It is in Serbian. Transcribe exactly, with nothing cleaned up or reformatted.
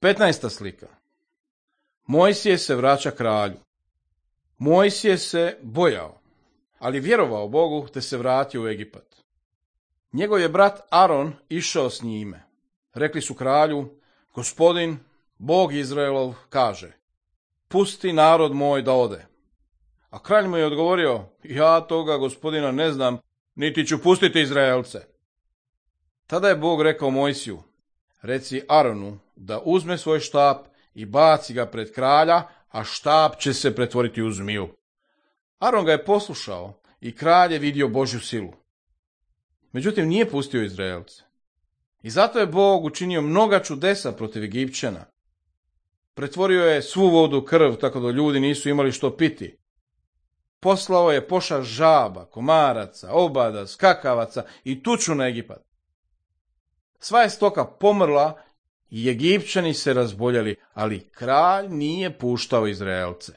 petnaesta slika. Mojsije se vraća kralju. Mojsije se bojao, ali vjerovao Bogu te se vratio u Egipat. Njegov je brat Aron išao s njime. Rekli su kralju, Gospodin, Bog Izraelov, kaže, pusti narod moj da ode. A kralj mu je odgovorio, ja toga Gospodina ne znam, niti ću pustiti Izraelce. Tada je Bog rekao Mojsiju, reci Aronu da uzme svoj štap i baci ga pred kralja, a štap će se pretvoriti u zmiju. Aron ga je poslušao i kralj je vidio Božju silu. Međutim, nije pustio Izraelce. I zato je Bog učinio mnoga čudesa protiv Egipćana. Pretvorio je svu vodu u krv, tako da ljudi nisu imali što piti. Poslao je pošast žaba, komaraca, obada, skakavaca i tuču na Egipat. Sva je stoka pomrla i Egipćani se razboljeli, ali kralj nije puštao Izraelce.